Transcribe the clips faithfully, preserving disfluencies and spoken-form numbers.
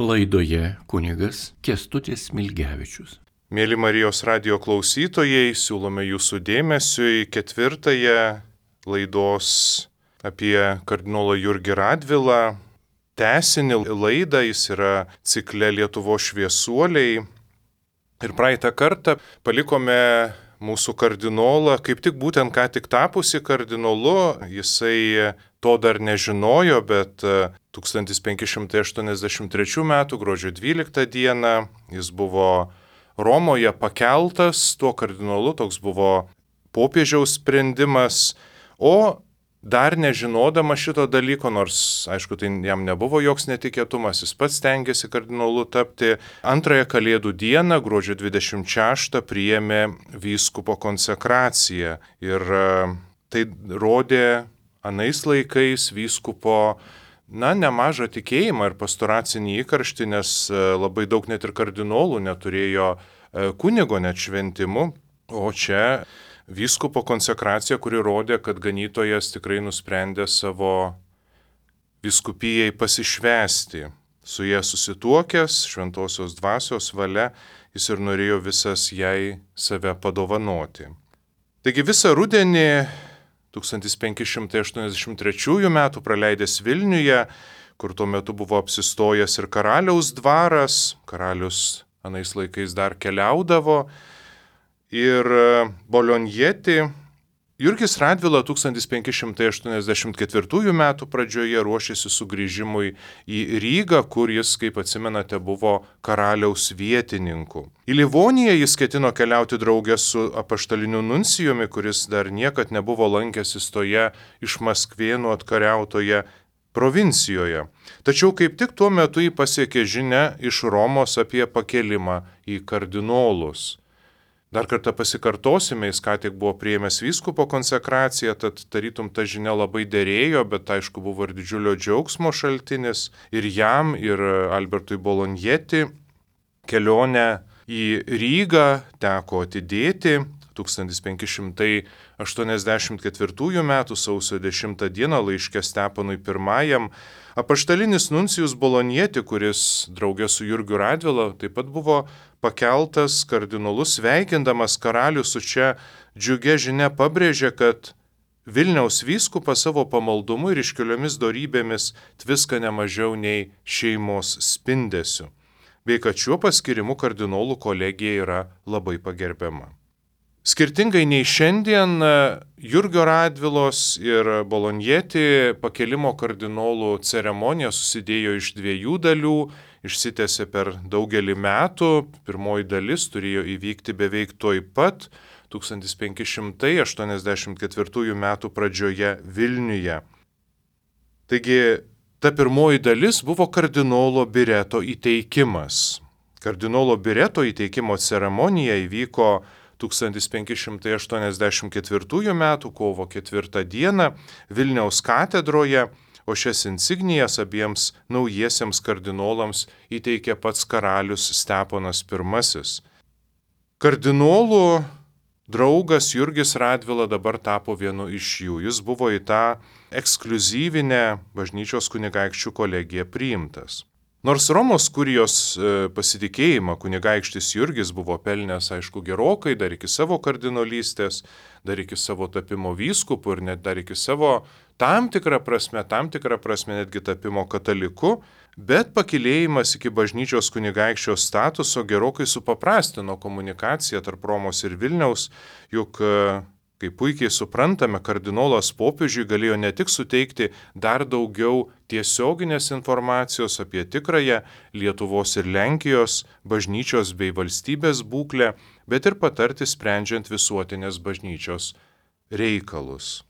Laidoje kunigas Kęstutis Smilgevičius. Mėly Marijos radijo klausytojai, siūlome jūsų dėmesiui ketvirtąją laidos apie kardinolą Jurgį Radvilą. Tęsinį laidą, jis yra cikle Lietuvos šviesuoliai. Ir praeitą kartą palikome mūsų kardinolą, kaip tik būtent ką tik tapusi kardinolu. Jisai to dar nežinojo, bet tūkstantis penki šimtai aštuoniasdešimt trečių metų gruodžio dvyliktą dieną jis buvo Romoje pakeltas tuo kardinolu, toks buvo popiežiaus sprendimas, o dar nežinodama šito dalyko, nors aišku tai jam nebuvo joks netikėtumas, jis pats stengiasi kardinolu tapti, antrąją Kalėdų dieną, gruodžio dvidešimt šeštą, priėmė vyskupo konsekraciją. Ir tai rodė anais laikais vyskupo na, nemažą tikėjimą ir pastoracinį įkarštį, nes labai daug net ir kardinolų neturėjo kunigo net šventimų, o čia vyskupo konsekracija, kuri rodė, kad ganytojas tikrai nusprendė savo vyskupijai pasišvęsti. Su jie susituokęs, šventosios dvasios valia, jis ir norėjo visas jai save padovanoti. Taigi visą rudenį tūkstantis penki šimtai aštuoniasdešimt trečiųjų metų praleidęs Vilniuje, kur tuo metu buvo apsistojęs ir karaliaus dvaras, karalius anais laikais dar keliaudavo, ir Bolonjeti, Jurgis Radvila tūkstantis penki šimtai aštuoniasdešimt ketvirtųjų metų pradžioje ruošėsi sugrįžimui į Rygą, kur jis, kaip atsimenate, buvo karaliaus vietininku. Į Livoniją jis ketino keliauti draugę su apaštaliniu nuncijumi, kuris dar niekad nebuvo lankęsis toje iš Maskvėnų atkariautoje provincijoje. Tačiau kaip tik tuo metu jį pasiekė žinia iš Romos apie pakelimą į kardinolus. Dar kartą pasikartosime, jis ką tik buvo priėmęs vyskupo konsekraciją, tad tarytum ta žinia labai derėjo, bet aišku buvo ir didžiulio džiaugsmo šaltinis ir jam, ir Albertui Bolonjeti. Kelionę į Rygą teko atidėti. tūkstantis penki šimtai aštuoniasdešimt ketvirtųjų metų sausio dešimtą dieną laiške Steponui pirmajam apaštalinis nuncijus Bolonjeti, kuris draugė su Jurgiu Radvila taip pat buvo pakeltas kardinolus, sveikindamas karalių su čia džiugia žinia pabrėžė, kad Vilniaus vyskupas savo pamaldumu ir iškiliomis dorybėmis tviska nemažiau nei šeimos spindesiu, bei kad šiuo paskirimu kardinolų kolegija yra labai pagerbiama. Skirtingai nei šiandien, Jurgio Radvilos ir Bolonjeti pakelimo kardinolų ceremonija susidėjo iš dviejų dalių, išsitęsė per daugelį metų. Pirmoji dalis turėjo įvykti beveik tuoj pat, tūkstantis penki šimtai aštuoniasdešimt ketvirtųjų metų pradžioje Vilniuje. Taigi, ta pirmoji dalis buvo kardinolo Bireto įteikimas. Kardinolo Bireto įteikimo ceremonija įvyko tūkstantis penki šimtai aštuoniasdešimt ketvirtųjų metų kovo ketvirtą dieną Vilniaus katedroje, o šias insignijas abiems naujiesiems kardinolams įteikė pats karalius Steponas pirmasis. Kardinolų draugas Jurgis Radvila dabar tapo vienu iš jų. Jis buvo į tą ekskliuzyvinę bažnyčios kunigaikščių kolegiją priimtas. Nors Romos kurijos pasitikėjimą kunigaikštis Jurgis buvo pelnęs, aišku, gerokai, dar iki savo kardinolystės, dar iki savo tapimo vyskupu ir net dar iki savo tam tikrą prasme, tam tikrą prasme netgi tapimo kataliku, bet pakilėjimas iki bažnyčios kunigaikščio statuso gerokai supaprastino komunikaciją tarp Romos ir Vilniaus, juk, kaip puikiai suprantame, kardinolas popiežiui galėjo ne tik suteikti dar daugiau tiesioginės informacijos apie tikrąją Lietuvos ir Lenkijos bažnyčios bei valstybės būklę, bet ir patarti sprendžiant visuotinės bažnyčios reikalus.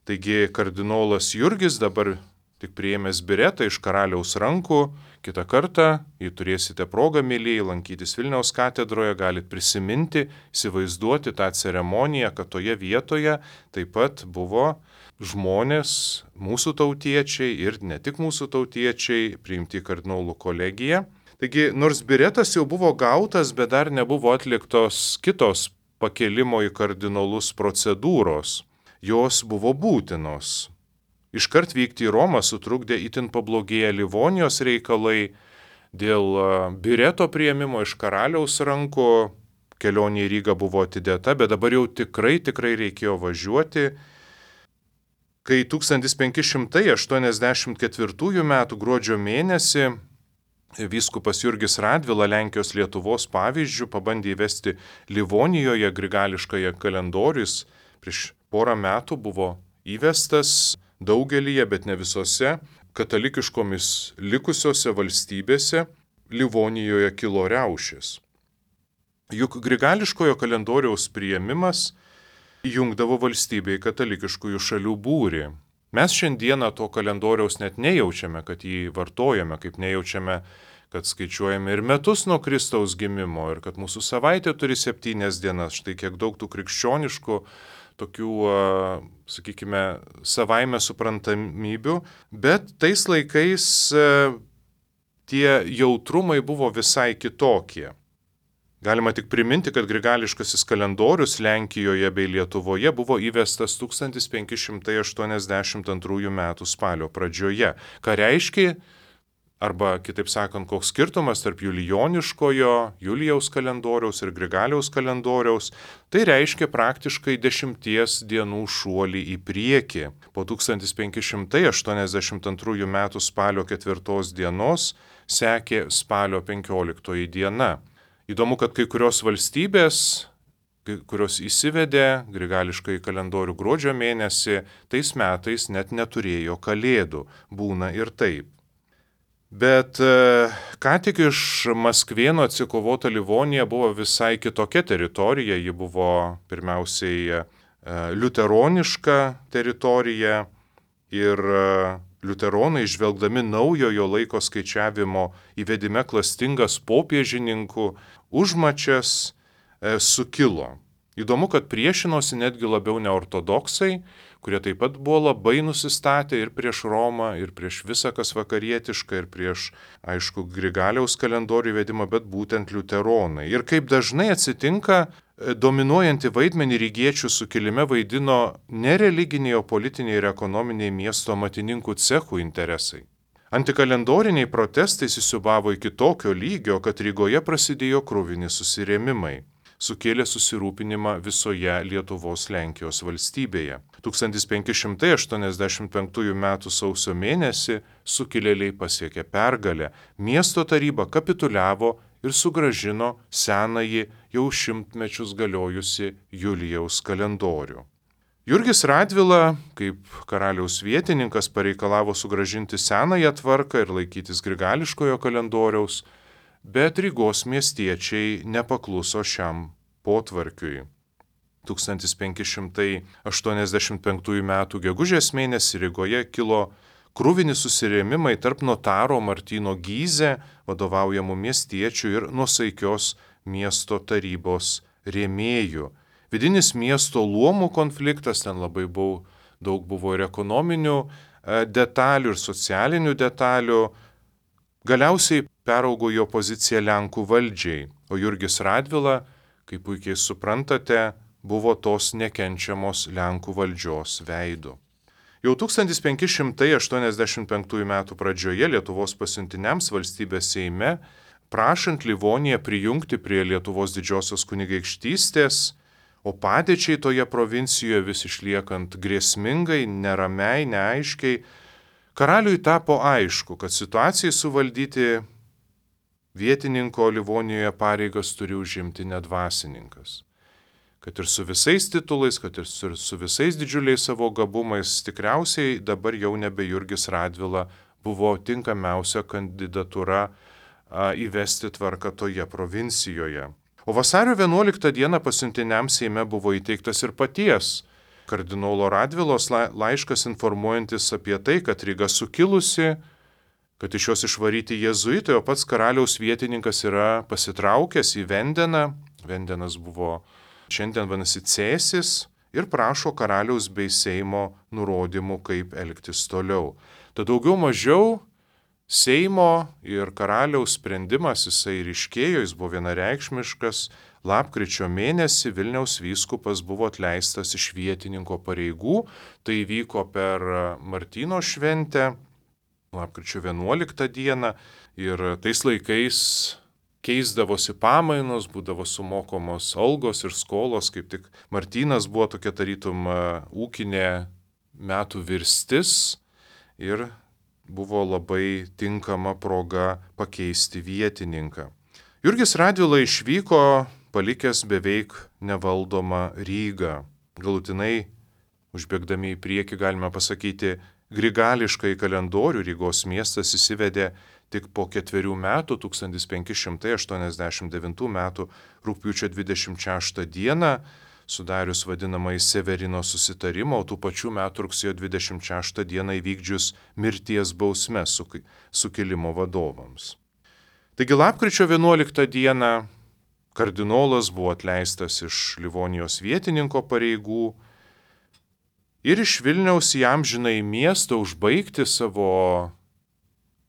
Taigi kardinolas Jurgis dabar tik priėmęs Biretą iš karaliaus rankų, kitą kartą, jei turėsite progą, mėlyjei, lankytis Vilniaus katedroje, galite prisiminti, įsivaizduoti tą ceremoniją, kad toje vietoje taip pat buvo žmonės, mūsų tautiečiai ir ne tik mūsų tautiečiai, priimti į kardinolų kolegiją. Taigi, nors Biretas jau buvo gautas, bet dar nebuvo atliktos kitos pakelimo į kardinolus procedūros. Jos buvo būtinos. Iškart vykti į Romą sutrukdė itin pablogėję Livonijos reikalai, dėl bireto priėmimo iš karaliaus rankų kelionė į Rygą buvo atidėta, bet dabar jau tikrai, tikrai reikėjo važiuoti. Kai tūkstantis penki šimtai aštuoniasdešimt ketvirtųjų metų gruodžio mėnesį vyskupas Jurgis Radvila Lenkijos Lietuvos pavyzdžių pabandė įvesti Livonijoje grigališkąją kalendorius, prieš porą metų buvo įvestas daugelyje, bet ne visose katalikiškomis likusiose valstybėse. Livonijoje kilo riaušės. Juk grigališkojo kalendoriaus priėmimas įjungdavo valstybei katalikiškųjų šalių būrį. Mes šiandieną to kalendoriaus net nejaučiame, kad jį vartojame, kaip nejaučiame, kad skaičiuojame ir metus nuo Kristaus gimimo, ir kad mūsų savaitė turi septynias dienas. Štai kiek daug tų krikščioniškų, tokių, sakykime, savaime suprantamybių, bet tais laikais tie jautrumai buvo visai kitokie. Galima tik priminti, kad grigališkasis kalendorius Lenkijoje bei Lietuvoje buvo įvestas tūkstantis penki šimtai aštuoniasdešimt antrųjų metų spalio pradžioje. Ką reiškia, arba kitaip sakant, koks skirtumas tarp julijoniškojo, Julijaus kalendoriaus ir Grigaliaus kalendoriaus, tai reiškia praktiškai dešimties dienų šuolį į priekį. Po tūkstantis penki šimtai aštuoniasdešimt antrųjų metų spalio ketvirtos dienos sekė spalio penkioliktoji diena. Įdomu, kad kai kurios valstybės, kurios įsivedė grigališkai kalendorių gruodžio mėnesį, tais metais net neturėjo kalėdų. Būna ir taip. Bet ką tik iš Maskvėno atsikovota Livonija buvo visai kitokia teritorija. Ji buvo pirmiausiai liuteroniška teritorija ir liuteronai, žvelgdami naujojo laiko skaičiavimo įvedime klastingas popiežininkų užmačias, e, sukilo. Įdomu, kad priešinosi netgi labiau neortodoksai, kurie taip pat buvo labai nusistatę ir prieš Romą, ir prieš visą kas vakarietišką, ir prieš, aišku, Grigaliaus kalendorių įvedimą, bet būtent liuteronai. Ir kaip dažnai atsitinka, dominuojantį vaidmenį rygiečių sukilime vaidino ne religiniai, o politiniai ir ekonominiai miesto amatininkų cechų interesai. Antikalendoriniai protestai įsisiūbavo iki tokio lygio, kad Rygoje prasidėjo kruvini susirėmimai, sukėlė susirūpinimą visoje Lietuvos Lenkijos valstybėje. tūkstantis penki šimtai aštuoniasdešimt penktųjų metų sausio mėnesį sukilėliai pasiekė pergalę. Miesto taryba kapituliavo ir sugrąžino senąjį jau šimtmečius galiojusi Julijaus kalendorių. Jurgis Radvila, kaip karaliaus vietininkas, pareikalavo sugrąžinti senąją tvarką ir laikytis grigališkojo kalendoriaus, bet Rygos miestiečiai nepakluso šiam potvarkiui. tūkstantis penki šimtai aštuoniasdešimt penktųjų metų gegužės mėnesį Rygoje kilo kruvini susirėmimai tarp notaro Martyno Gyze vadovaujamų miestiečių ir nuosaikios miesto tarybos rėmėjų. Vidinis miesto luomų konfliktas, ten labai buvo, daug buvo ir ekonominių detalių, ir socialinių detalių, galiausiai peraugo į opoziciją Lenkų valdžiai, o Jurgis Radvila, kaip puikiai suprantate, buvo tos nekenčiamos Lenkų valdžios veidu. Jau tūkstantis penki šimtai aštuoniasdešimt penktųjų metų pradžioje Lietuvos pasiuntiniams valstybės Seime, prašant Livoniją prijungti prie Lietuvos didžiosios kunigaikštystės, o padėčiai toje provincijoje vis išliekant grėsmingai, neramiai, neaiškiai, karaliui tapo aišku, kad situacijai suvaldyti vietininko Livonijoje pareigas turi užimti ne dvasininkas. Kad ir su visais titulais, kad ir su, su visais didžiuliais savo gabumais, tikriausiai dabar jau nebe Jurgis Radvila buvo tinkamiausia kandidatūra a, įvesti tvarką toje provincijoje. O vasario vienuoliktą dieną pasiuntiniams Seime buvo įteiktas ir paties kardinolo Radvilos laiškas informuojantis apie tai, kad Ryga sukilusi, kad iš jos išvaryti jėzuitai, o pats karaliaus vietininkas yra pasitraukęs į Vendeną. Vendenas buvo šiandien vadinasi Cėsis ir prašo karaliaus bei Seimo nurodymų, kaip elgtis toliau. Tad daugiau mažiau Seimo ir karaliaus sprendimas jisai ryškėjo, jis buvo vienareikšmiškas. Lapkričio mėnesį Vilniaus vyskupas buvo atleistas iš vietininko pareigų. Tai vyko per Martyno šventę, lapkričio vienuoliktą dieną. Ir tais laikais keisdavosi pamainos, būdavo sumokomos algos ir skolos, kaip tik Martynas buvo tokia tarytum ūkinė metų virstis ir buvo labai tinkama proga pakeisti vietininką. Jurgis Radvila išvyko, palikęs beveik nevaldomą Rygą. Galutinai, užbėgdami į priekį, galime pasakyti, grigališkai kalendorių Rygos miestas įsivedė tik po ketverių metų, tūkstantis penki šimtai aštuoniasdešimt devintų metų rugpjūčio dvidešimt šeštą dieną, sudarius vadinamąjį Severino susitarimą, o tų pačių metų rugsėjo dvidešimt šeštą dieną įvykdžius mirties bausmes sukilimo vadovams. Taigi lapkričio vienuoliktą dieną kardinolas buvo atleistas iš Livonijos vietininko pareigų ir iš Vilniaus į amžinąjį miestą užbaigti savo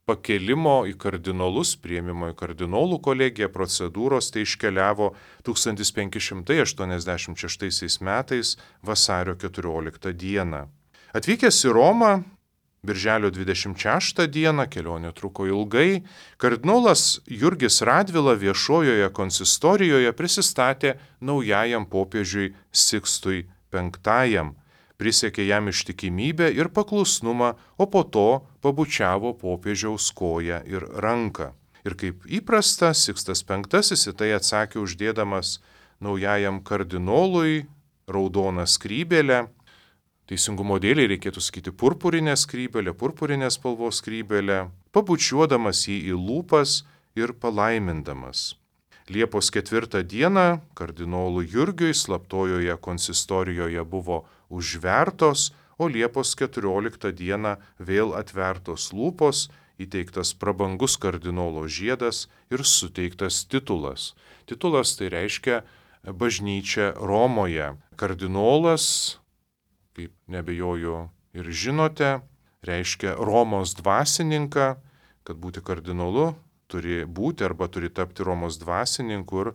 pakelimo į kardinolus, priėmimo į kardinolų kolegiją procedūros, tai iškeliavo tūkstantis penki šimtai aštuoniasdešimt šeštaisiais metais vasario keturioliktą dieną. Atvykęs į Romą, birželio dvidešimt šeštą dieną, kelionė truko ilgai, kardinolas Jurgis Radvila viešojoje konsistorijoje prisistatė naujajam popiežiui Sikstui penktajam, prisiekė jam ištikimybę ir paklusnumą, o po to pabučiavo popiežiaus koją ir ranką. Ir kaip įprasta, Sikstas penktasis į tai atsakė uždėdamas naujajam kardinolui raudoną skrybėlę. Teisingumo dėliai reikėtų sakyti purpurinę skrybėlę, purpurinės spalvos skrybėlę, pabučiuodamas jį į lūpas ir palaimindamas. Liepos ketvirtą dieną kardinolui Jurgiui slaptojoje konsistorijoje buvo užvertos, o Liepos keturioliktą dieną vėl atvertos lūpos, įteiktas prabangus kardinolo žiedas ir suteiktas titulas. Titulas tai reiškia bažnyčia Romoje. Kardinolas, kaip nebejoju ir žinote, reiškia Romos dvasininką, kad būti kardinolu turi būti arba turi tapti Romos dvasininku. Ir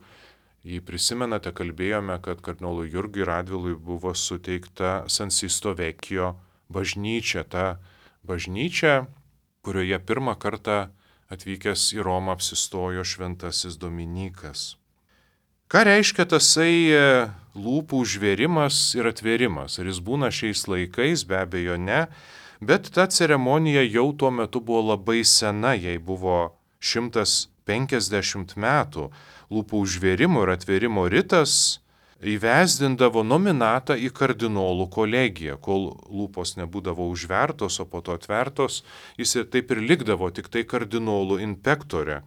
jei prisimenate, kalbėjome, kad kardinolui Jurgiui Radvilui buvo suteikta San Sisto Vecchio bažnyčia, ta bažnyčia, kurioje pirmą kartą atvykęs į Romą apsistojo šventasis Dominykas. Ką reiškia tasai lūpų užvėrimas ir atvėrimas? Ar jis būna šiais laikais? Be abejo ne, bet ta ceremonija jau tuo metu buvo labai sena, jai buvo šimtas penkiasdešimt metų. Lūpų užvėrimo ir atvėrimo ritas įvesdindavo nominatą į kardinolų kolegiją. Kol lūpos nebūdavo užvertos, o po to atvertos, jis ir taip ir likdavo tik tai kardinolų inpektorė.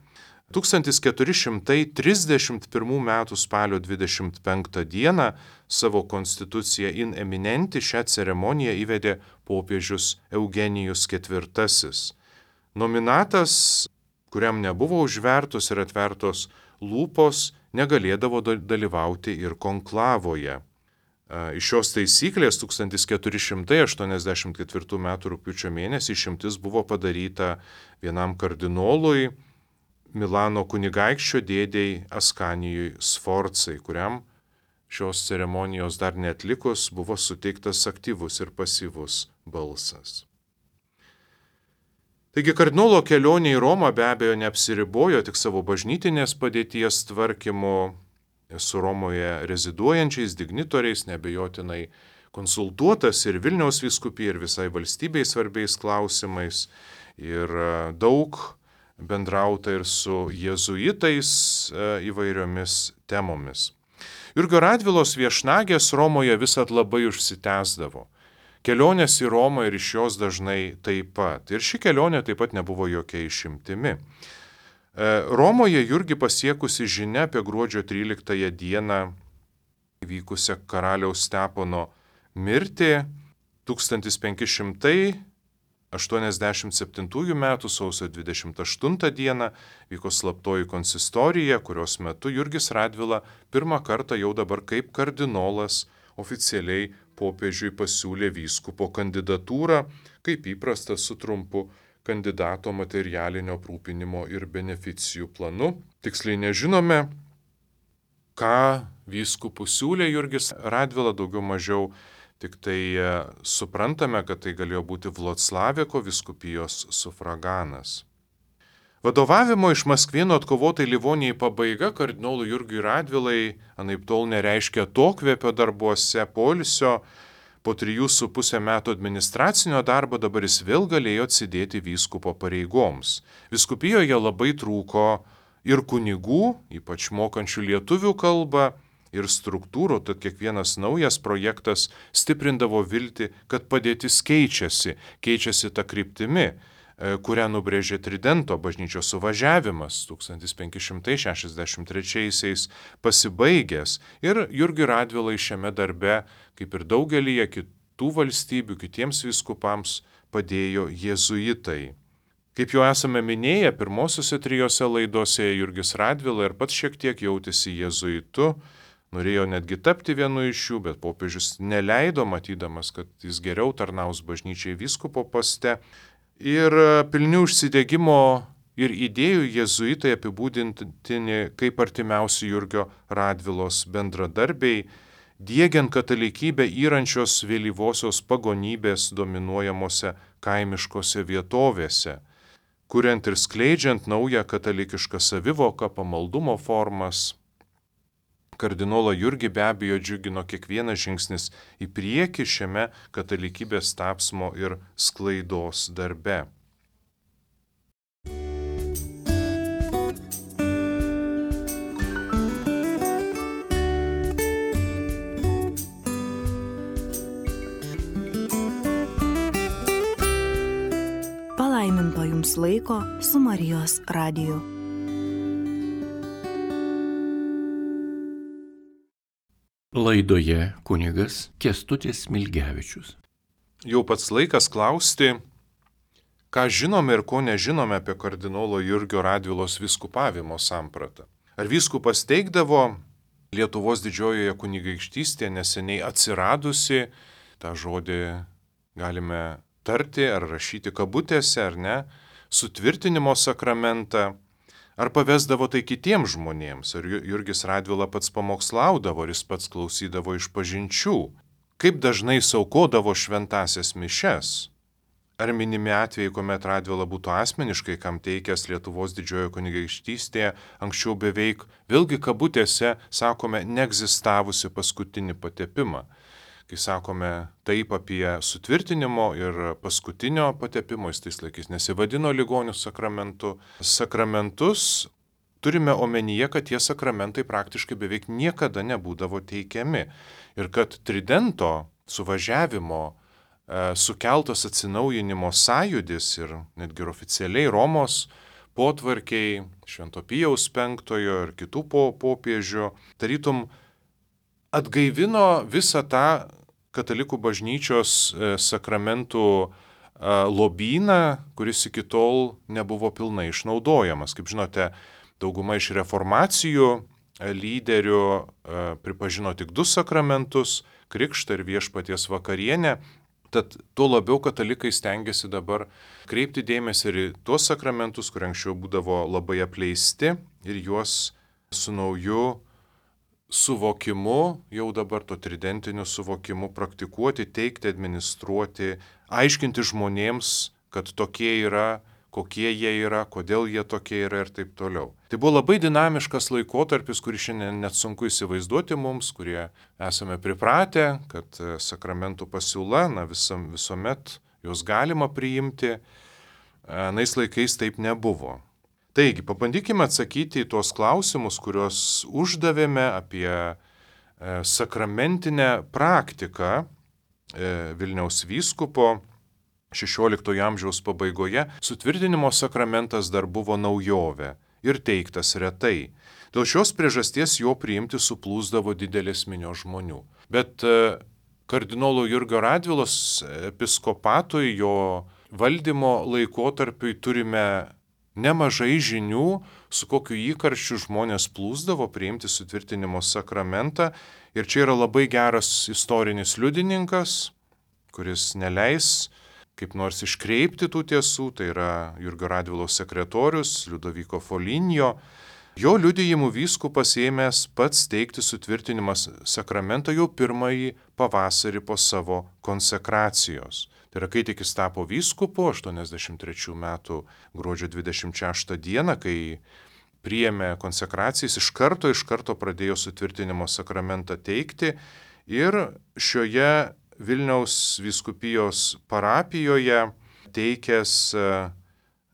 tūkstantis keturi šimtai trisdešimt pirmų metų spalio dvidešimt penktą dieną savo konstituciją in eminenti šią ceremoniją įvedė popiežius Eugenijus ketvirtasis. Nominatas, kuriam nebuvo užvertos ir atvertos lūpos, negalėdavo dalyvauti ir konklavoje. Iš šios taisyklės tūkstantis keturi šimtai aštuoniasdešimt ketvirtų metų rugpjūčio mėnesį išimtis buvo padaryta vienam kardinolui, Milano kunigaikščio dėdei Askanijui Sforcai, kuriam šios ceremonijos dar neatlikus buvo suteiktas aktyvus ir pasyvus balsas. Taigi kardinolo kelionė į Romą be abejo neapsiribojo tik savo bažnytinės padėties tvarkymu, su Romoje reziduojančiais dignitoriais neabejotinai konsultuotas ir Vilniaus vyskupija, ir visai valstybei svarbiais klausimais, ir daug bendrauta ir su jėzuitais įvairiomis temomis. Jurgio Radvilos viešnagės Romoje visat labai užsitęsdavo. Kelionės į Romą ir iš jos dažnai taip pat. Ir ši kelionė taip pat nebuvo jokia išimtimi. Romoje Jurgį pasiekusi žinia apie gruodžio tryliktąją dieną įvykusią karaliaus Stepono mirtį tūkstantis penki šimtai aštuoniasdešimt septintųjų metų sausio dvidešimt aštuntą dieną vyko slaptoji konsistorija, kurios metu Jurgis Radvila pirmą kartą jau dabar kaip kardinolas oficialiai popiežiui pasiūlė vyskupo kandidatūrą, kaip įprasta su trumpu kandidato materialinio aprūpinimo ir beneficijų planu. Tiksliai nežinome, ką vyskupų siūlė Jurgis Radvila, daugiau mažiau tik tai suprantame, kad tai galėjo būti Vloclaveko vyskupijos sufraganas. Vadovavimo iš Maskvėnų atkovotai Livonijai pabaiga kardinolui Jurgiui Radvilai anaiptol nereiškia atokvėpio darbuose, poilsio. Po trijų su pusę metų administracinio darbo dabar jis vėl galėjo atsidėti vyskupo pareigoms. Vyskupijoje labai trūko ir kunigų, ypač mokančių lietuvių kalbą, ir struktūrų, tad kiekvienas naujas projektas stiprindavo viltį, kad padėtis keičiasi, keičiasi ta kryptimi, kurią nubrėžė Tridento bažnyčios suvažiavimas tūkstantis penki šimtai šešiasdešimt trečiaisiais pasibaigęs ir Jurgiui Radvilai šiame darbe, kaip ir daugelyje kitų valstybių, kitiems vyskupams padėjo jėzuitai. Kaip jau esame minėję, pirmosiuose trijose laidose Jurgis Radvila ir pats šiek tiek jautėsi jėzuitu, norėjo netgi tapti vienu iš jų, bet popiežius neleido, matydamas, kad jis geriau tarnaus bažnyčiai vyskupo poste. Ir pilni užsidegimo ir idėjų jėzuitai apibūdintini kaip artimiausi Jurgio Radvilos bendradarbiai, diegiant katalikybę įrančios vėlyvosios pagonybės dominuojamose kaimiškose vietovėse, kuriant ir skleidžiant naują katalikišką savivoką, pamaldumo formas. Kardinolą Jurgį be abejo džiugino kiekvienas žingsnis į priekį šiame katalikybės tapsmo ir sklaidos darbe. Palaiminto jums laiko su Marijos radiju. Laidoje kunigas Kęstutis Smilgevičius. Jau pats laikas klausti, ką žinome ir ko nežinome apie kardinolo Jurgio Radvilos vyskupavimo sampratą. Ar vyskupas teikdavo Lietuvos didžiojoje kunigaikštystėje neseniai atsiradusi, tą žodį galime tarti ar rašyti kabutėse ar ne, sutvirtinimo sakramentą, ar pavesdavo tai kitiems žmonėms, ar Jurgis Radvila pats pamokslaudavo, ar jis pats klausydavo išpažinčių, kaip dažnai saukodavo šventasias mišes, ar minimi atvejai, kuomet Radvila būtų asmeniškai kam teikęs Lietuvos didžiojoje kunigaikštystėje, anksčiau beveik, vėlgi kabutėse, sakome, neegzistavusi paskutinį patepimą. Kai sakome taip apie sutvirtinimo ir paskutinio patepimo, jis tais laikais nesivadino ligonių sakramentu. Sakramentus turime omenyje, kad tie sakramentai praktiškai beveik niekada nebūdavo teikiami. Ir kad Tridento suvažiavimo e, sukeltas atsinaujinimo sąjūdis ir netgi ir oficialiai Romos potvarkiai, Švento Pijaus penktojo ir kitų popiežių, tarytum atgaivino visą tą katalikų bažnyčios sakramentų lobyną, kuris iki tol nebuvo pilnai išnaudojamas. Kaip žinote, dauguma iš reformacijų lyderių pripažino tik du sakramentus - krikštą ir viešpaties vakarienę. Tad tuo labiau katalikai stengiasi dabar kreipti dėmesį ir į tuos sakramentus, kur anksčiau būdavo labai apleisti, ir juos su nauju suvokimu, jau dabar to tridentiniu suvokimu praktikuoti, teikti, administruoti, aiškinti žmonėms, kad tokie yra, kokie jie yra, kodėl jie tokie yra ir taip toliau. Tai buvo labai dinamiškas laikotarpis, kurį šiandien net sunku įsivaizduoti mums, kurie esame pripratę, kad sakramentų pasiūla, na visam, visuomet juos galima priimti, anais laikais taip nebuvo. Taigi, pabandykime atsakyti į tuos klausimus, kuriuos uždavėme apie sakramentinę praktiką Vilniaus vyskupo šešioliktojo amžiaus pabaigoje. Sutvirtinimo sakramentas dar buvo naujovė ir teiktas retai. Dėl šios priežasties jo priimti suplūsdavo didelės minios žmonių. Bet kardinolo Jurgio Radvilos episkopatui, jo valdymo laikotarpiui turime nemažai žinių, su kokiu įkarščiu žmonės plūsdavo priimti sutvirtinimo sakramentą. Ir čia yra labai geras istorinis liudininkas, kuris neleis kaip nors iškreipti tų tiesų, tai yra Jurgio Radvilos sekretorius Liudoviko Foligno. Jo liudijimu vyskupas ėmęs pats teikti sutvirtinimą sakramentą jau pirmąjį pavasarį po savo konsekracijos. Tai yra, kai tik jis tapo vyskupu, aštuoniasdešimt trečių metų gruodžio dvidešimt šeštą dieną, kai priėmė konsekraciją, jis iš karto, iš karto pradėjo sutvirtinimo sakramentą teikti ir šioje Vilniaus vyskupijos parapijoje teikęs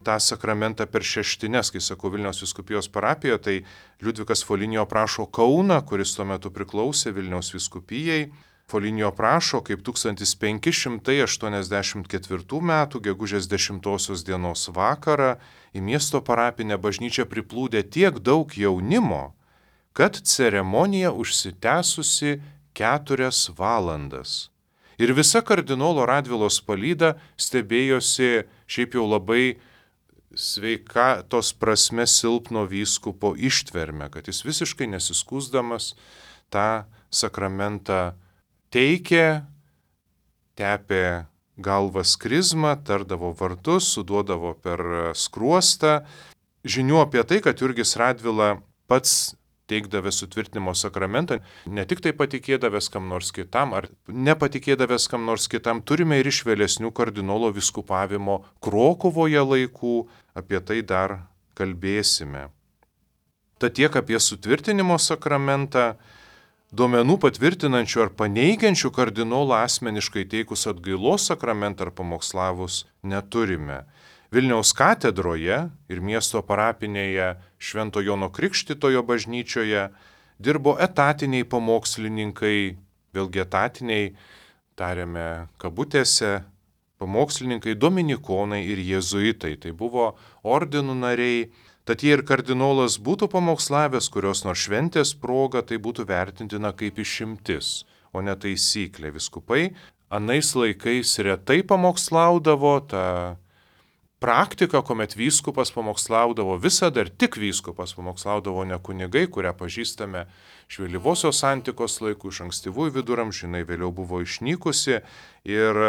tą sakramentą per šeštines. Kai sakau Vilniaus vyskupijos parapijoje, tai Liudvikas Foligno aprašo Kauną, kuris tuo metu priklausė Vilniaus vyskupijai. Foligno aprašo, kaip tūkstantis penki šimtai aštuoniasdešimt ketvirtų metų gegužės dešimtosios dienos vakarą į miesto parapinę bažnyčią priplūdė tiek daug jaunimo, kad ceremonija užsitęsusi keturias valandas. Ir visa kardinolo Radvilos palyda stebėjosi šiaip jau labai sveikatos prasme silpno vyskupo ištverme, kad jis visiškai nesiskųsdamas tą sakramentą teikė, tepė galvas krizmą, tardavo vardus, suduodavo per skruostą. Žinių apie tai, kad Jurgis Radvila pats teikdavęs sutvirtinimo sakramentą, ne tik tai patikėdavęs kam nors kitam, ar nepatikėdavęs kam nors kitam, turime ir iš vėlesnių kardinolo vyskupavimo Krokuvoje laikų, apie tai dar kalbėsime. Tad tiek apie sutvirtinimo sakramentą. Duomenų patvirtinančių ar paneigiančių kardinolą asmeniškai teikus atgailos sakramentą ar pamokslavus neturime. Vilniaus katedroje ir miesto parapinėje Švento Jono Krikštytojo bažnyčioje dirbo etatiniai pamokslininkai, vėlgi etatiniai, tariame kabutėse, pamokslininkai dominikonai ir jėzuitai. Tai buvo ordinų nariai. Tad jei ir kardinolas būtų pamokslavęs kurios nors šventės proga, tai būtų vertintina kaip išimtis, o ne taisyklė. Viskupai anais laikais retai pamokslaudavo, ta praktika, kuomet vyskupas pamokslaudavo, visada ir tik vyskupas pamokslaudavo, ne kunigai, kurią pažįstame iš vėlyvosios antikos laikų, iš ankstyvųjų viduramžių, jinai vėliau buvo išnykusi ir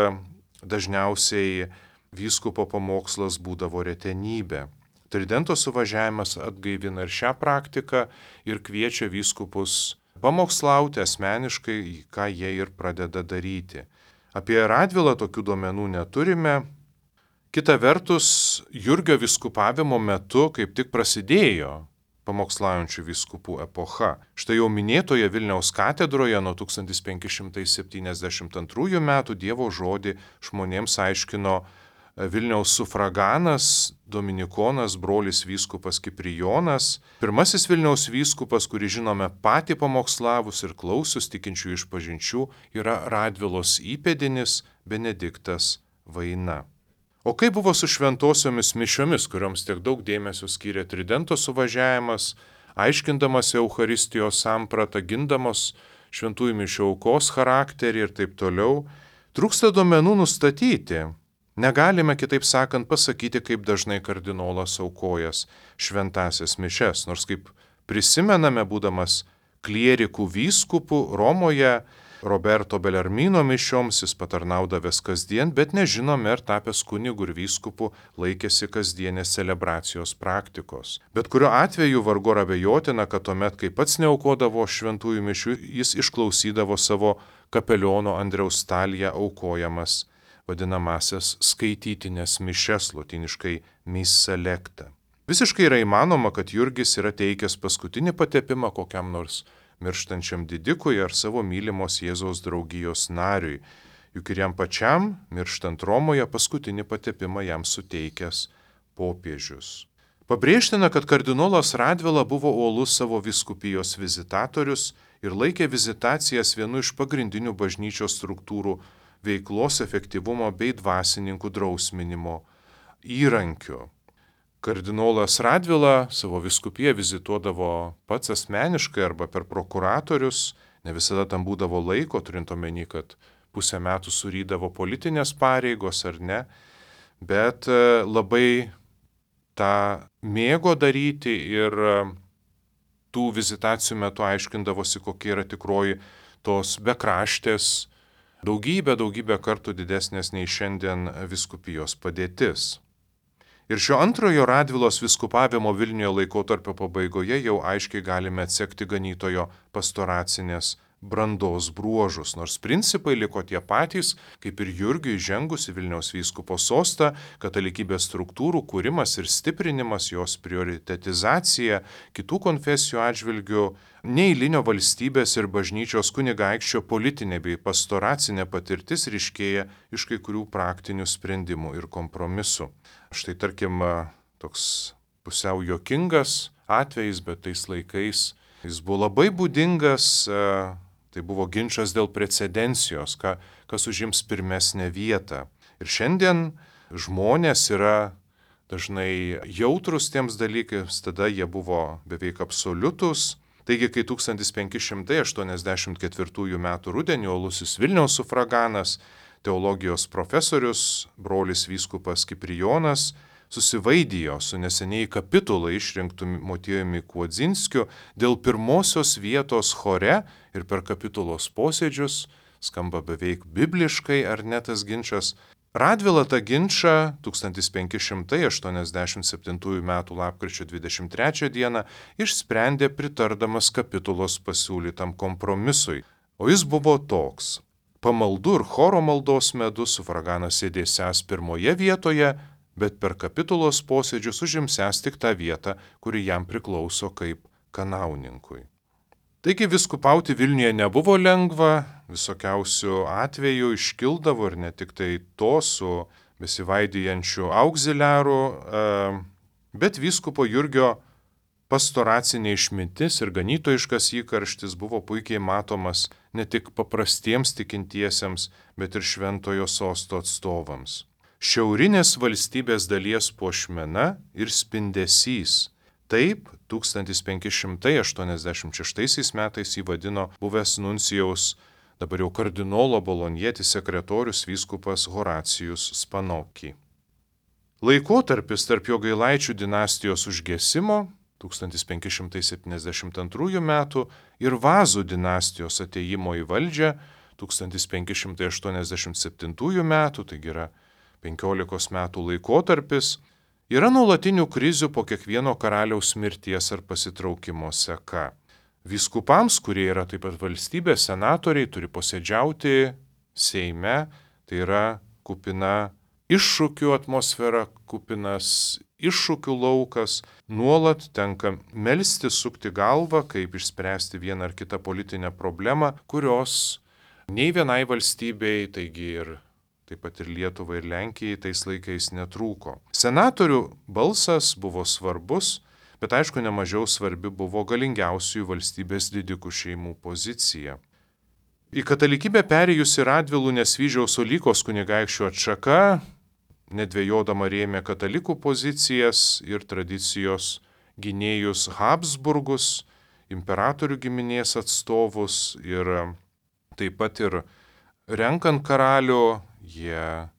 dažniausiai vyskupo pamokslas būdavo retenybė. Tridento suvažiavimas atgaivina ir šią praktiką ir kviečia vyskupus pamokslauti asmeniškai, ką jie ir pradeda daryti. Apie Radvilą tokių duomenų neturime. Kita vertus, Jurgio vyskupavimo metu kaip tik prasidėjo pamokslaujančių vyskupų epocha. Štai jau minėtoje Vilniaus katedroje nuo tūkstantis penki šimtai septyniasdešimt antrųjų metų Dievo žodį žmonėms aiškino Vilniaus sufraganas, dominikonas, brolis vyskupas Kiprijonas, pirmasis Vilniaus vyskupas, kurį žinome patį pamokslavus ir klausius tikinčių išpažinčių, yra Radvilos įpėdinis Benediktas Vaina. O kaip buvo su šventosiomis mišiomis, kurioms tiek daug dėmesio skyrė Tridento suvažiavimas, aiškindamas Eucharistijos sampratą, gindamos šventųjų mišių aukos charakterį ir taip toliau, trūksta duomenų nustatyti. Negalime, kitaip sakant, pasakyti, kaip dažnai kardinolas aukojas šventąsias mišias, nors kaip prisimename, būdamas klierikų vyskupų Romoje, Roberto Belarmino mišioms jis patarnaudavęs kasdien, bet nežinome, ar tapęs kunigu ir vyskupu laikėsi kasdienės celebracijos praktikos. Bet kuriuo atveju vargu ar abejotina, kad tuomet, kai pats neaukodavo šventųjų mišių, jis išklausydavo savo kapeliono Andriaus Stalija aukojamas vadinamasias skaitytinės mišes, lotiniškai missa lecta. Visiškai yra įmanoma, kad Jurgis yra teikęs paskutinį patepimą kokiam nors mirštančiam didikui ar savo mylimos Jėzaus draugijos nariui, juk ir jam pačiam, mirštant Romoje, paskutinį patepimą jam suteikęs popiežius. Pabrėžtina, kad kardinolas Radvila buvo uolus savo vyskupijos vizitatorius ir laikė vizitacijas vienu iš pagrindinių bažnyčios struktūrų veiklos efektyvumo bei dvasininkų drausminimo įrankiu. Kardinolas Radvila savo vyskupiją vizituodavo pats asmeniškai arba per prokuratorius, ne visada tam būdavo laiko, turint omeny, kad pusę metų surydavo politinės pareigos ar ne, bet labai tą mėgo daryti ir tų vizitacijų metu aiškindavosi, kokia yra tikroji tos bekraštės, daugybę, daugybę kartų didesnės nei šiandien vyskupijos padėtis. Ir šio antrojo Radvilos vyskupavimo Vilniuje laikotarpio pabaigoje jau aiškiai galime atsekti ganytojo pastoracinės brandos bruožus, nors principai liko tie patys, kaip ir Jurgiui žengus į Vilniaus vyskupo sostą, katalikybės struktūrų kūrimas ir stiprinimas, jos prioritetizacija kitų konfesijų atžvilgių, neeilinio valstybės ir bažnyčios kunigaikščio politinė bei pastoracinė patirtis ryškėja iš kai kurių praktinių sprendimų ir kompromisų. Štai tarkim, toks pusiau juokingas atvejis, bet tais laikais jis buvo labai būdingas. Tai buvo ginčas dėl precedencijos, ka, kas užims pirmesnę vietą. Ir šiandien žmonės yra dažnai jautrus tiems dalykams, tada jie buvo beveik absoliutus. Taigi, kai tūkstantis penki šimtai aštuoniasdešimt ketvirtųjų metų rudenį uolusis Vilniaus sufraganas, teologijos profesorius, brolis vyskupas Kiprijonas, susivaidijo su neseniai kapitulą išrinktų Motiejumi Kuodzinskiu dėl pirmosios vietos chore ir per kapitulos posėdžius, skamba beveik bibliškai, ar ne tas ginčas. Radvila tą ginčą tūkstantis penki šimtai aštuoniasdešimt septintųjų metų lapkričio dvidešimt trečią dieną išsprendė pritardamas kapitulos pasiūlytam kompromisui. O jis buvo toks: pamaldų ir choro maldos metu sufraganas sėdėsiąs pirmoje vietoje, bet per kapitulos posėdžius užimsęs tik tą vietą, kuri jam priklauso kaip kanauninkui. Taigi viskupauti Vilniuje nebuvo lengva, visokiausių atvejų iškildavo ir ne tik tai to su besivaidijančiu auxiliaru, bet vyskupo Jurgio pastoracinė išmintis ir ganytojiškas įkarštis buvo puikiai matomas ne tik paprastiems tikintiesiems, bet ir šventojo sosto atstovams. Šiaurinės valstybės dalies puošmena ir spindesys. Taip, tūkstantis penki šimtai aštuoniasdešimt šeštaisiais metais įvadino buvęs nuncijaus, dabar jau kardinolo bolonjetis sekretorius vyskupas Horacijus Spanocchi. Laikotarpis tarp Jogailaičių dinastijos užgesimo tūkstantis penki šimtai septyniasdešimt antrųjų metų ir Vazų dinastijos atėjimo į valdžią tūkstantis penki šimtai aštuoniasdešimt septintųjų metų, taigi yra penkiolikos metų laikotarpis, yra nuolatinių krizių po kiekvieno karaliaus mirties ar pasitraukimo seka. Vyskupams, kurie yra taip pat valstybės senatoriai, turi posėdžiauti Seime, tai yra kupina iššūkių atmosfera, kupinas iššūkių laukas, nuolat tenka melsti, sukti galvą, kaip išspręsti vieną ar kitą politinę problemą, kurios nei vienai valstybei, taigi ir taip pat ir Lietuvai ir Lenkijai tais laikais netrūko. Senatorių balsas buvo svarbus, bet aišku nemažiau svarbi buvo galingiausiųjų valstybės didikų šeimų pozicija. Į katalikybę perėjusi Radvilų Nesvyžiaus Olykos kunigaikščių atšaka, nedvejodama rėmė katalikų pozicijas ir tradicijos gynėjus Habsburgus, imperatorių giminės atstovus ir taip pat ir renkant karalių, jie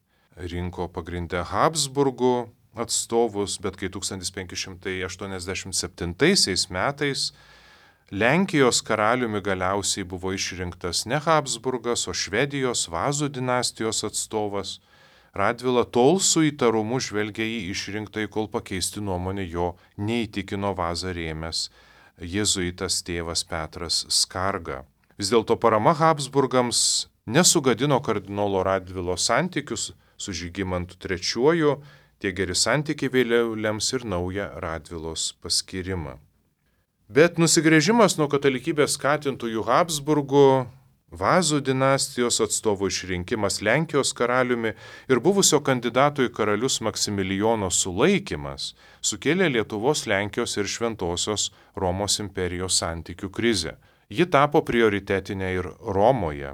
rinko pagrindę Habsburgų atstovus, bet kai tūkstantis penki šimtai aštuoniasdešimt septintaisiais metais Lenkijos karaliumi galiausiai buvo išrinktas ne Habsburgas, o Švedijos Vazų dinastijos atstovas, Radvila tol su įtarumu žvelgė į išrinktąjį, kol pakeisti nuomonę jo neįtikino Vazą rėmęs jėzuitas tėvas Petras Skarga. Vis dėlto parama Habsburgams nesugadino kardinolo Radvilo santykius su Žygimantu trečiuoju, tie geri santykiai vėliau lems ir naują Radvilos paskyrimą. Bet nusigręžimas nuo katalikybės skatintųjų Habsburgų, Vazų dinastijos atstovų išrinkimas Lenkijos karaliumi ir buvusio kandidato į karalius Maksimilijono sulaikymas sukėlė Lietuvos, Lenkijos ir Šventosios Romos imperijos santykių krizę. Ji tapo prioritetinė ir Romoje.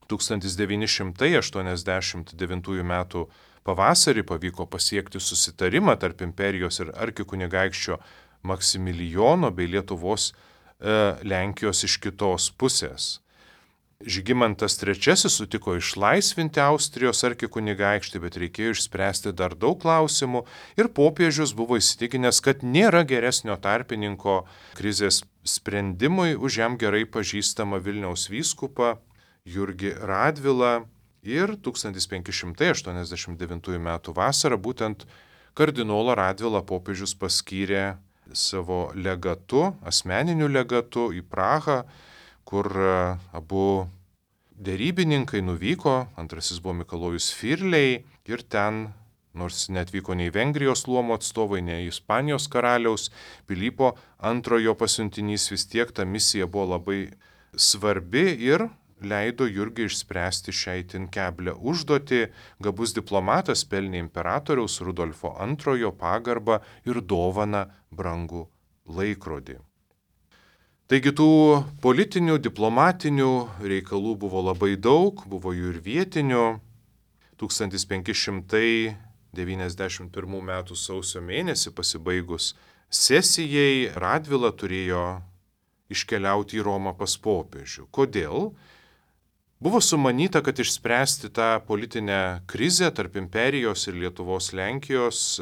tūkstantis devyni šimtai aštuoniasdešimt devintųjų metų pavasarį pavyko pasiekti susitarimą tarp imperijos ir arkikunigaikščio Maksimilijono bei Lietuvos e, Lenkijos iš kitos pusės. Žygimantas trečiasis sutiko išlaisvinti Austrijos arkikunigaikštį, bet reikėjo išspręsti dar daug klausimų ir popiežius buvo įsitikinęs, kad nėra geresnio tarpininko krizės sprendimui už jam gerai pažįstamą Vilniaus vyskupą Jurgį Radvilą ir tūkstantis penki šimtai aštuoniasdešimt devintųjų metų vasarą būtent kardinolą Radvilą popiežius paskyrė savo legatu, asmeniniu legatu į Prahą, kur abu derybininkai nuvyko, antrasis buvo Mikalojus Firlei ir ten, nors netvyko nei Vengrijos luomo atstovai, nei Ispanijos karaliaus Pilypo antrojo pasiuntinys, vis tiek ta misija buvo labai svarbi ir leido Jurgiui išspręsti šią itin keblią užduotį. Gabus diplomatas pelnė imperatoriaus Rudolfo antrojo pagarbą ir dovaną brangų laikrodį. Taigi tų politinių, diplomatinių reikalų buvo labai daug, buvo jų ir vietinių. tūkstantis penki šimtai devyniasdešimt pirmų metų sausio mėnesį pasibaigus sesijai Radvila turėjo iškeliauti į Romą pas popiežių. Kodėl? Buvo sumanyta, kad išspręsti tą politinę krizę tarp imperijos ir Lietuvos Lenkijos,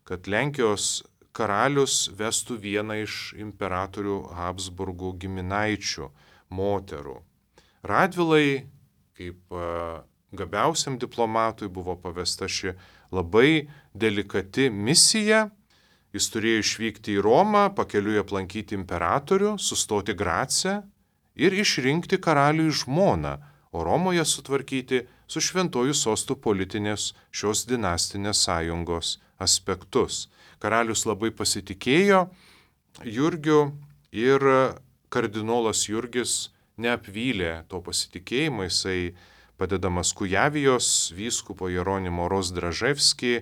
kad Lenkijos karalius vestų vieną iš imperatorių Habsburgų giminaičių moterų. Radvilai, kaip gabiausiam diplomatui, buvo pavesta ši labai delikati misija. Jis turėjo išvykti į Romą, pakeliui aplankyti imperatorių, sustoti Grace ir išrinkti karaliui žmoną, o Romoje sutvarkyti su šventuoju sostu politinės šios dinastinės sąjungos aspektus. Karalius labai pasitikėjo Jurgiu ir kardinolas Jurgis neapvylė to pasitikėjimo. Jisai, padedamas Kujavijos vyskupo Jeronimo Rozdraževskį,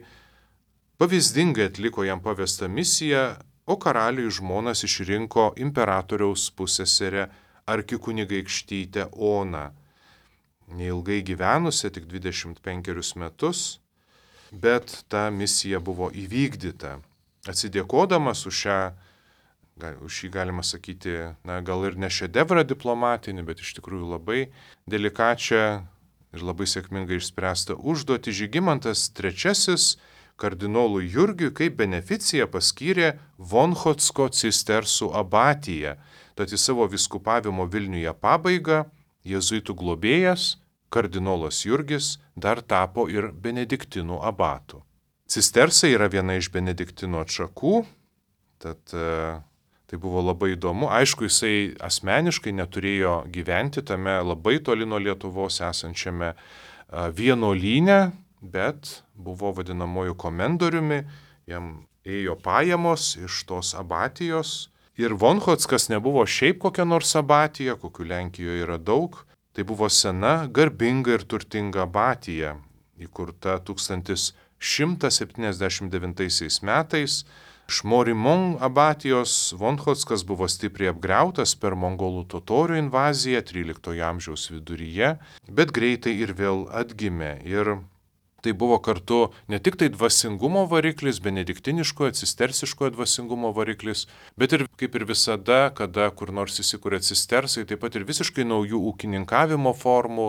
pavyzdingai atliko jam pavestą misiją, o karaliui žmonas išrinko imperatoriaus pusseserę arkikunigaikštytę Oną. Neilgai gyvenusią, tik dvidešimt penkerius metus, bet ta misija buvo įvykdyta. Atsidėkodamas už šią, už šį galima sakyti, na, gal ir ne šedevrą diplomatinį, bet iš tikrųjų labai delikačią ir labai sėkmingai išspręstą užduotį, Žygimantas trečiasis kardinolui Jurgiui kaip beneficiją paskyrė Vonchotsko cistersų abatiją. Tad į savo vyskupavimo Vilniuje pabaigą jėzuitų globėjas, kardinolas Jurgis, dar tapo ir benediktinų abatu. Cistersai yra viena iš benediktinų atšakų, tad e, tai buvo labai įdomu. Aišku, jisai asmeniškai neturėjo gyventi tame labai toli nuo Lietuvos esančiame e, vienuolyne, bet buvo vadinamoju komendoriumi, jam ėjo pajamos iš tos abatijos. Ir Vonchotskas nebuvo šiaip kokia nors abatija, kokių Lenkijoje yra daug. Tai buvo sena, garbinga ir turtinga abatija, įkurta tūkstantis šimtas septyniasdešimt devintaisiais metais. Šmorimon abatijos Vonchotskas buvo stipriai apgriautas per mongolų totorių invaziją tryliktojo amžiaus viduryje, bet greitai ir vėl atgimė. Ir tai buvo kartu ne tik tai dvasingumo variklis, benediktiniškojo, cistersiškojo dvasingumo variklis, bet ir kaip ir visada, kada kur nors įsikūrė cistersai, taip pat ir visiškai naujų ūkininkavimo formų,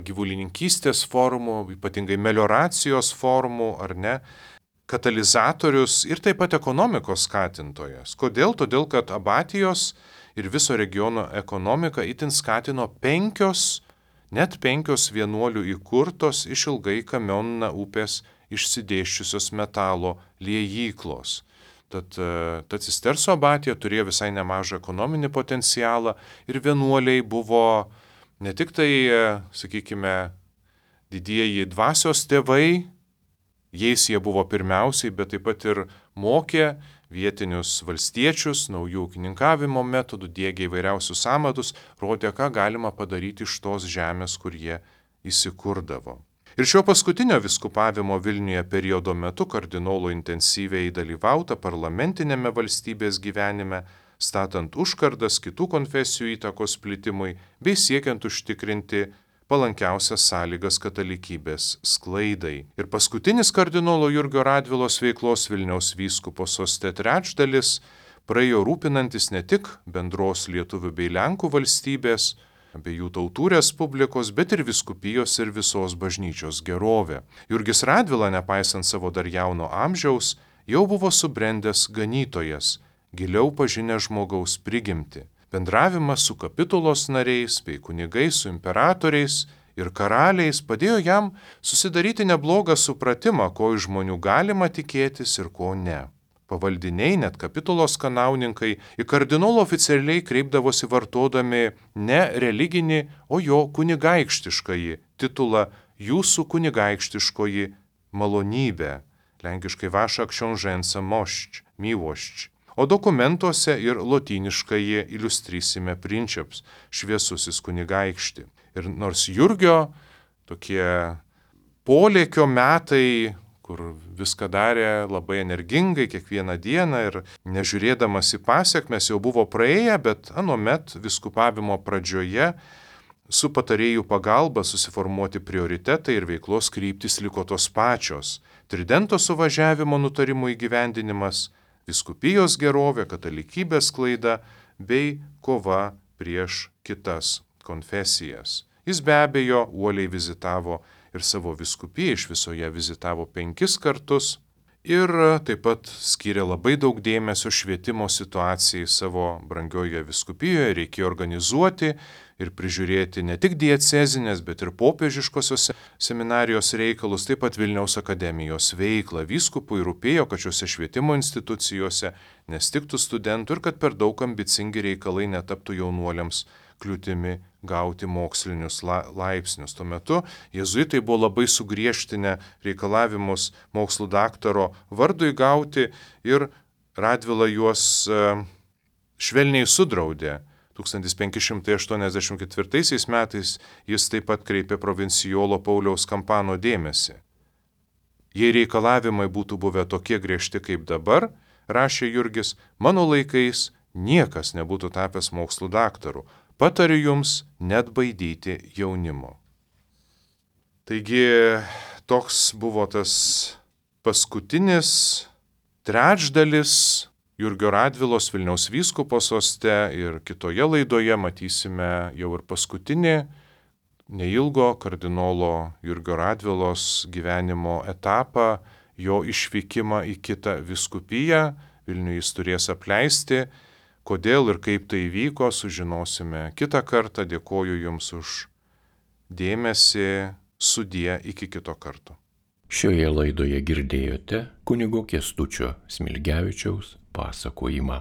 gyvulininkystės formų, ypatingai melioracijos formų, ar ne, katalizatorius ir taip pat ekonomikos skatintojas. Kodėl? Todėl, kad abatijos ir viso regiono ekonomika itin skatino penkios Net penkios vienuolių įkurtos iš ilgai Kamionna upės išsidėščiusios metalo liejyklos. Tad ta cisterso abatija turėjo visai nemažą ekonominį potencialą ir vienuoliai buvo ne tik tai, sakykime, didieji dvasios tėvai, jais jie buvo pirmiausiai, bet taip pat ir mokė vietinius valstiečius, naujų ūkininkavimo metodų, diegė įvairiausius amatus, rodė, ką galima padaryti iš tos žemės, kur jie įsikurdavo. Ir šio paskutinio vyskupavimo Vilniuje periodo metu kardinolų intensyviai dalyvauta parlamentinėme valstybės gyvenime, statant užkardas kitų konfesijų įtakos plitimui bei siekiant užtikrinti palankiausias sąlygas katalikybės sklaidai. Ir paskutinis kardinolo Jurgio Radvilos veiklos Vilniaus vyskupo soste trečdalis praėjo rūpinantis ne tik bendros lietuvių bei lenkų valstybės, abiejų tautų respublikos, bet ir vyskupijos ir visos bažnyčios gerovė. Jurgis Radvila, nepaisant savo dar jauno amžiaus, jau buvo subrendęs ganytojas, giliau pažinęs žmogaus prigimtį. Bendravimas su kapitulos nariais bei kunigais, su imperatoriais ir karaliais padėjo jam susidaryti neblogą supratimą, ko iš žmonių galima tikėtis ir ko ne. pavaldiniai, net kapitulos kanauninkai, į kardinolą oficialiai kreipdavosi vartodami ne religinį, o jo kunigaikštiškąjį titulą jūsų kunigaikštiškoji malonybė, lenkiškai vaša książęca mošč, miłość, o dokumentuose ir lotyniškąjį iliustrysime princeps, šviesusis kunigaikšti. Ir nors Jurgio tokie polėkio metai, kur viską darė labai energingai kiekvieną dieną ir nežiūrėdamas į pasiekmes jau buvo praėję, bet anuomet viskupavimo pradžioje su patarėjų pagalba susiformuoti prioritetai ir veiklos kryptis liko tos pačios. Tridento suvažiavimo nutarimų įgyvendinimas, viskupijos gerovė, katalikybės sklaida bei kova prieš kitas konfesijas. Jis be abejo uoliai vizitavo ir savo viskupiją, iš viso ją vizitavo penkis kartus ir taip pat skyrė labai daug dėmesio švietimo situacijai savo brangioje viskupijoje. Reikėjo organizuoti ir prižiūrėti ne tik diecezinės, bet ir popiežiškosios seminarijos reikalus, taip pat Vilniaus akademijos veiklą. Vyskupui rūpėjo, kad šiuose švietimo institucijose nestiktų studentų ir kad per daug ambicingi reikalai netaptų jaunuoliams kliūtimi gauti mokslinius la, laipsnius. Tuo metu jėzuitai buvo labai sugriežtinę reikalavimus mokslų daktaro vardui gauti ir Radvila juos e, švelniai sudraudė. tūkstantis penki šimtai aštuoniasdešimt ketvirtaisiais metais jis taip pat kreipė provincijolo Pauliaus Kampano dėmesį. Jei reikalavimai būtų buvę tokie griežti kaip dabar, rašė Jurgis, mano laikais niekas nebūtų tapęs mokslų daktaru. Patariu jums net baidyti jaunimo. Taigi toks buvo tas paskutinis trečdalis Jurgio Radvilos Vilniaus vyskupo soste ir kitoje laidoje matysime jau ir paskutinį neilgo kardinolo Jurgio Radvilos gyvenimo etapą, jo išvykimą į kitą vyskupiją. Vilnių jis turės apleisti. Kodėl ir kaip tai įvyko, sužinosime kitą kartą. Dėkoju Jums už dėmesį, sudie iki kito karto. Šioje laidoje girdėjote kunigo Kęstučio Smilgevičiaus pasakojimą.